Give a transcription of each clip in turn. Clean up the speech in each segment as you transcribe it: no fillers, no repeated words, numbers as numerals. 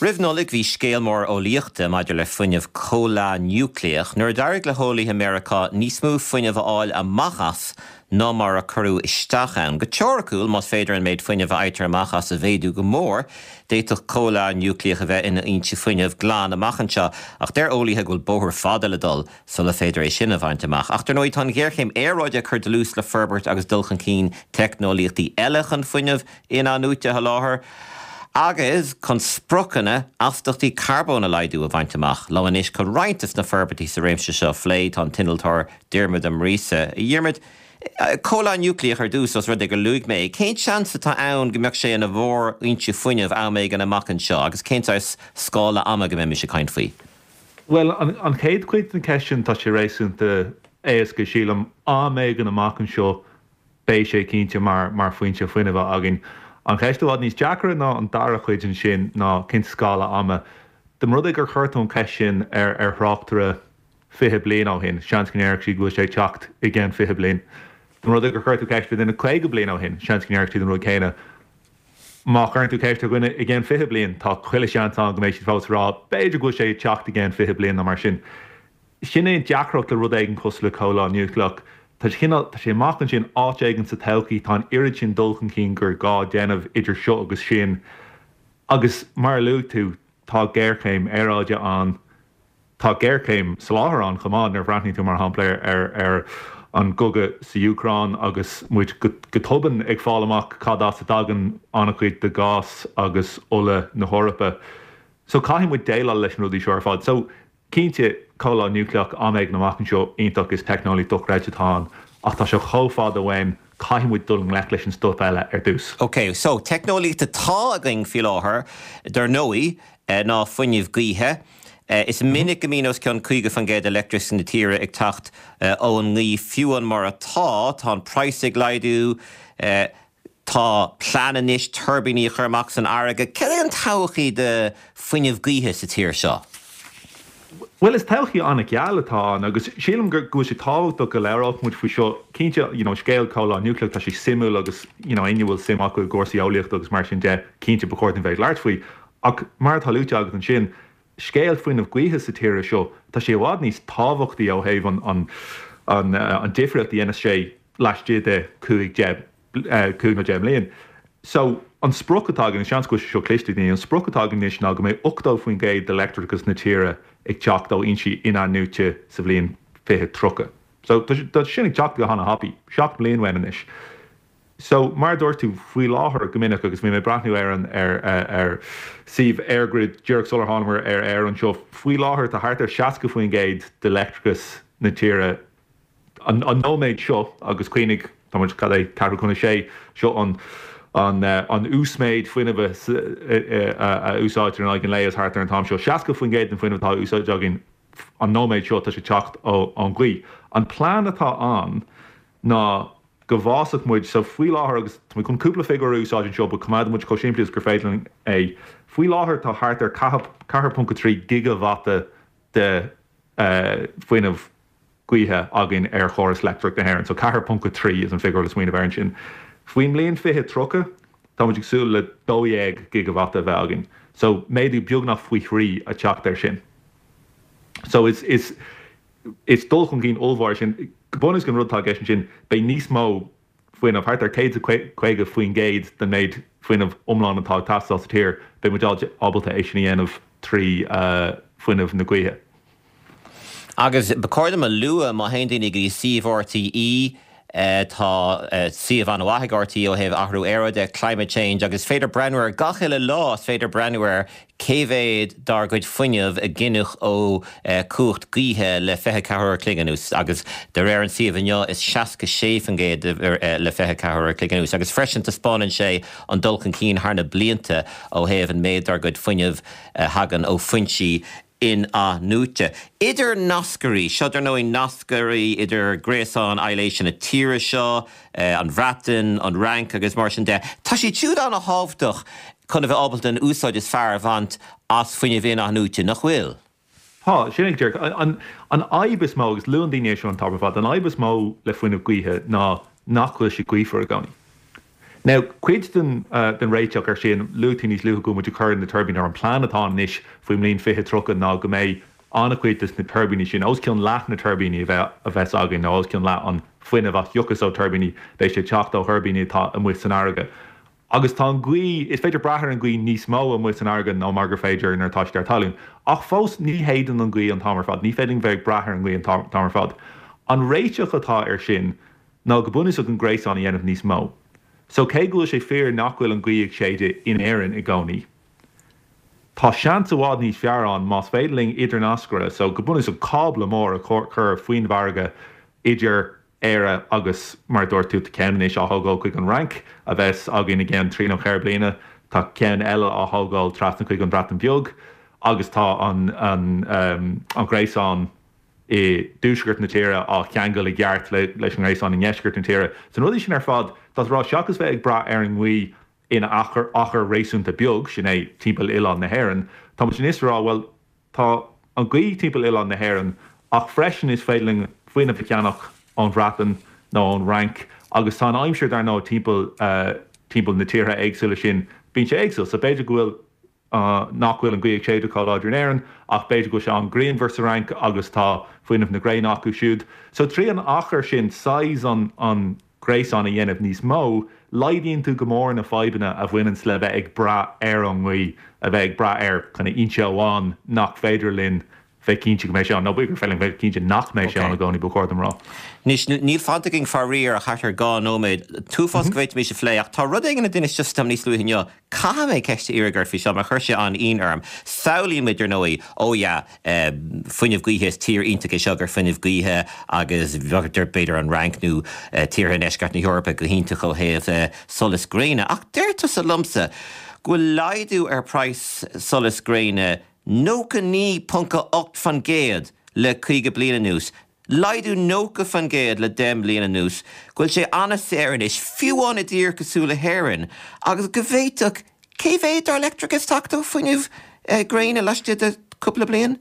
Roimh Nollaig bhí scéal mór eolaíochta maidir le fuinneamh comhleá núicléach nuair a d'éirigh le heolaithe Meiriceá níos mó fuinnimh a fháil amach as ná mar a cuireadh isteach ann. Go teoiriciúil, más féidir an méid fuinnimh a fhaightear amach as a mhéadú go mór, d'fhéadfadh comhleá núicléach a bheith ina fhoinse fuinnimh glan amach anseo. Ach deir eolaithe go bhfuil bóthar fada le dul sula féidir é sin a bhaint amach. Ach dar ndóigh tá an ghéarchéim aeráide ag cur dlús le forbairt agus dul chun cinn teicneolaíochtaí eile chun fuinneamh in-athnuaite a sholáthar agus chun spriocanna astaíochtaí carbóin a laghdú a bhaint amach. Liom anois chun roinnt de na forbairtí sa réimse seo a phlé tá an t-innealtóir Diarmuid Ó Muiríosa. A Dhiarmuid, comhleá núicléach ar dtús, os rud é gur luaigh mé é, cén seans atá ann go mbeadh sé ina mhórfhoinse fuinnimh am éigin amach anseo agus cén saghas scála ama go mbeimis ag caint faoi? Bhuel, an chéad chuid den cheist sin, tá sé réasúnta éasca, sílim. Am éigin amach anseo, Beidh sé cinnte mar mar foinse fuinnimh againn. An cheist i bhfad níos deacra ná an dara cuid ansin ná cén scála ama. Dá mba rud é gur chuir tú an cheist sin ar ar thráchtaire 20 bliain ó shin, seans go ndéarfadh siad go bhfuil sé ag teacht i gceann 20 bliain. Dá mba rud é gur chuir tú ceist ar dhuine 50 bliain ó shin, seans go ndéarfadh siad an rud céanna. Má chuireann tú ceist ar dhuine i gceann 20 bliain, tá chuile sheans ann go mbeidh siad fós ag rá b'fhéidir go bhfuil sé ag teacht i gceann 20 bliain nó mar sin. Sin é an deacracht le rud éigin cosúil le comhleá núicléach. Tá sé cineál, tá sé amach ansin áit éigin sa todhchaí, tá an oiread sin dul chun cinn gur gá déanamh idir seo agus sin. Agus mar a luaigh tú, tá géarchéim aeráide ann, tá géarchéim soláthair ann chomh maith nuair a bhreathnaíonn tú mar shampla ar ar an gcogadh sa Úcráin agus muid go tobann ag fáil amach cad as a dtagann an-chuid de ghás agus ola na hEorpa. So caithfidh muid déileáil leis na rudaí seo ar fad. So Cinnte, comhleá núicléach am éigin amach anseo, iontach, is teicneolaíocht dochreidte atá ann, ach tá sé chomh fada uainn, caithfidh muid dul i ngleic leis an stuif eile ar dtús. Ok, so, teicneolaíocht atá againn faoi láthair, dar ndóigh, ná fuinneamh gaoithe. Is minic go mbíonn os cionn 50% de leictreachas na tíre ag teacht ón ngaoth, fiú amháin mar atá, tá an praghas ag laghdú, Tá plean anois tuirbíní a chur amach san fharraige. Cad é an todhchaí do fuinneamh gaoithe sa tír seo? Bhuel, is todhchaí an-gheal atá ann agus sílim go bhfuil sé tábhachtach go labhródh muid faoi seo. Cinnte, you know, scéal comhleá núicléach, tá sé suimiúil agus, you know, éinne a bhfuil suim acu i gcúrsaí eolaíochta agus mar sin de, cinnte ba chóir dúinn bheith ag labhairt faoi. Ach mar atá luaite agat ansin, scéal fuinneamh gaoithe sa tír seo, tá sé i bhfad níos tábhachtaí ó thaobh an, an, an difríocht a dhéanas sé laistigh de 5, 10, 5 nó 10 mbliain. So, an sprioc atá againn, seans go bhfuil sé seo cliste ag daoine, an sprioc atá againn anois ná go mbeidh 80% de leictreachas na tíre ag teacht ó fhoinsí in-athnuaite sa bhliain 2030. So, tá sin ag teacht go hana-thapaidh, 7 mbliain uainn anois. So, mar a dúirt tú, faoi láthair, go minic, agus bhí mé ag breathnú ar an, ar, ar suíomh EirGrid díreach sular thánamar ar aer anseo, faoi láthair tá thart ar 60% de leictreachas na tíre An nóiméad seo, agus cuimhnigh, tá muid, cad é, ceathrú chun a sé, seo an an uasmhéid fuinnimh a úsáidtear in aghaidh an lae is thart ar an t-am seo. 60% den fuinneamh atá á úsáid againn an nóiméad seo, tá sé ag teacht ón ghaoth. An plean atá ann ná go bhfásfadh muid, so faoi láthair, agus tá mé chun cúpla figiúr a úsáid anseo, but coimeádfaidh muid chomh simplí is gur féidir linn é, faoi láthair tá thart ar 4.3 gigeavata de fuinneamh gaoithe againn ar chóras leictreach na hÉireann. So 4.3 is an figiúr le smaoineamh air ansin. Faoin mbliain 2030, tá muid ag súil le 12 gigeavata a bheith againn. So méadú beagnach faoi thrí a teacht air sin. So is is is dul chun cinn ollmhór é sin. Go bunúsach an rud atá i gceist ansin, beidh níos mó fuinnimh, thart ar 150% den méid fuinnimh iomlán atá ag teastáil sa tír, beidh muid ábalta é sin a dhéanamh trí fuinneamh na gaoithe. Agus ba chóir dom a lua, má théann daoine go dtí suíomh RTÉ, tá suíomh an-mhaith ag RTÉ ó thaobh athrú aeráide, climate change, agus is féidir breathnú air gach uile lá, is féidir breathnú ar Cé mhéad dár gcuid fuinnimh a gineadh ó chumhacht gaoithe le 24 uair a chloig anuas? Agus de réir an tsuímh inniu, is 66% le 24 uair a chloig anuas. Agus freisin taispeánann sé an dul chun cinn thar na blianta ó thaobh an méid dár gcuid fuinnimh a thagann ó foinsí in-athnuaite. Idirnascairí, seo dar ndóigh nascairí idir gréasán aibhléise na tíre seo, an Bhreatain, an Fhrainc agus mar sin de. Tá siad siúd an-thábhachtach chun a bheith ábalta an úsáid is fearr a bhaint as fuinneamh in-athnuaite, nach bhfuil? Tá, sin é go díreach. An fhadhb is mó, agus luann daoine é seo an t-am ar fad, an fhadhb is mó le fuinneamh gaoithe ná nach bhfuil sé gaofar i gcónaí. Now, cuid den den réiteach ar sin, luaigh tú níos luaithe go bhfuil muid ag cur na tuirbíní, nó an plean atá ann anois faoin mbliain 2030 ná go mbeidh an-chuid de na tuirbíní sin, os cionn leath na tuirbíní a bheith a bheas againn, nó os cionn leath an fuinneamh a thiocfas ó tuirbíní, beidh sé ag teacht ó thuirbíní atá amuigh san fharraige. Agus tá an ghaoth, is féidir brath ar an ghaoth níos mó amuigh san fharraige ná mar gur féidir nuair atá siad ar talún. Ach fós, ní shéideann an ghaoth an t-am ar fad, ní féidir linn bheith ag brath ar an ngaoth an t-am ar fad. An réiteach atá air sin ná go bunúsach an gréasán a dhéanamh níos mó. So cé go bhfuil sé fíor nach bhfuil an ghaoth ag séideadh in Éirinn i gcónaí, tá seans i bhfad níos fearr ann más féidir linn idirnascaire, so go bunúsach cábla mór a chur faoin bhfarraige idir Éire agus, mar a dúirt tú, tá ceann anois á thógáil chuig an Fhrainc, a bheas againn i gceann trí nó ceithre bliana. Tá ceann eile á thógáil trasna chuig an Bhreatain Bheag agus tá an an gréasán i dtuaisceart na tíre á cheangal i gceart leis an ngréasán i ndeisceart na tíre. So na rudaí sin ar fad, tá tú ag rá, seachas bheith ag brath ar an ngaoth in achar achar réasúnta beag, sin é timpeall oileán na hÉireann, tá muid anois ag rá, bhuel, Tá an ghaoth timpeall oileán na hÉireann ach freisin is féidir linn fuinneamh a cheannach ón Bhreatain nó ón Fhrainc agus tá an aimsir dar ndóigh timpeall timpeall na tíortha éagsúla sin, bíonn sé éagsúil. So b'fhéidir go bhfuil nach bhfuil an ghaoth ag séideadh chomh láidir in Éirinn ach b'fhéidir go bhfuil sé an-ghrianmhar sa Fhrainc agus tá fuinneamh na gréine acu siúd. So trí an achar sin, saghas an an gréasán a dhéanamh níos mó, laghdaíonn tú go mór na fadhbanna a bhaineanns le bheith ag brath ar an ngaoth, a bheith ag brath ar kind of fhoinse amháin nach féidir linn bheith cinnte go mbeidh sé ann, nó b'fhéidir gur féidir linn bheith cinnte nach mbeidh sé ann i gcónaí, ba chóir dom rá. Anois, níl fanta againn faraor ach thart ar 2 nóiméad. An t-uafás go bhféadfaimis a phlé, ach tá rud éigin a d'inis tusa dom níos luaithe inniu. Caithfidh mé ceist a iarraidh ort faoi seo mar chuir sé an-ionadh orm. Samhlaíonn muid, ar ndóigh, oh yeah, fuinneamh gaoithe, is tír iontach é seo gur fuinneamh gaoithe agus b'fhéidir an Fhrainc nó tíortha i ndeisceart na hEorpa go hiontach ó thaobh solas gréine. Ach deir tusa liomsa go bhfuil laghdú ar praghas solas gréine 99.8% le 50 bliain anuas. Laghdú 90% le 10 mbliana anuas, go bhfuil sé an-saor anois, fiú amháin i dtír cosúil le hÉirinn, agus go bhféadfadh cé mhéad dár leictreachas teacht ó fuinneamh gréine laistigh de cúpla bliain?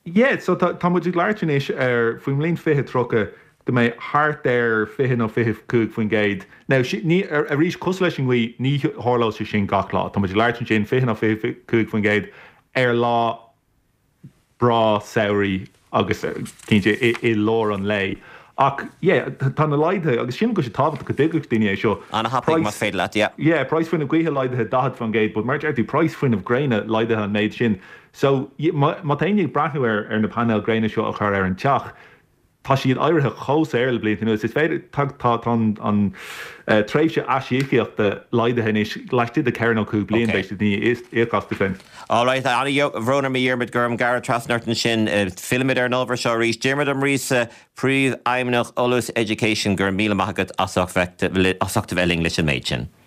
Yeah, so tá tá muid ag labhairt anois ar faoin mbliain 2030 go mbeidh thart ar 20 nó 25%. Now, ní, arís, cosúil leis an ngaoth, ní tharlóidh sé sin gach lá. Tá muid ag labhairt ansin 20 nó 25% ar lá breá samhraidh agus cinnte i lár an lae. Ach yeah, tá na laghduithe, agus sílim go bhfuil sé tábhachtach go dtuigfeadh daoine é seo, An-thapaidh más féidir leat, yeah. Yeah, praghas fuinneamh gaoithe laghdaithe 40%, but mar a deir tú, praghas fuinneamh gréine laghdaithe an méid sin. So, má tá éinne ag breathnú ar ar na painéil gréine seo a chur ar an teach, Tá siad éirithe chomh saor le blianta anuas. Is féidir, tá, tá, tá an, an tréimhse aisíocaíochta laghdaithe anois laistigh de cheithre nó cúig bliain, beidh siad i ndiaidh íoc astu féin. All right, an-bhrón orm a Dhiarmuid go raibh orm gearradh trasna ort ansin. Fillfimid ar an ábhar seo arís. Diarmuid Ó Muiríosa, Príomhfheidhmeannach Eolas Education, go raibh míle maith agat as ucht a bheith linn leis an méid sin.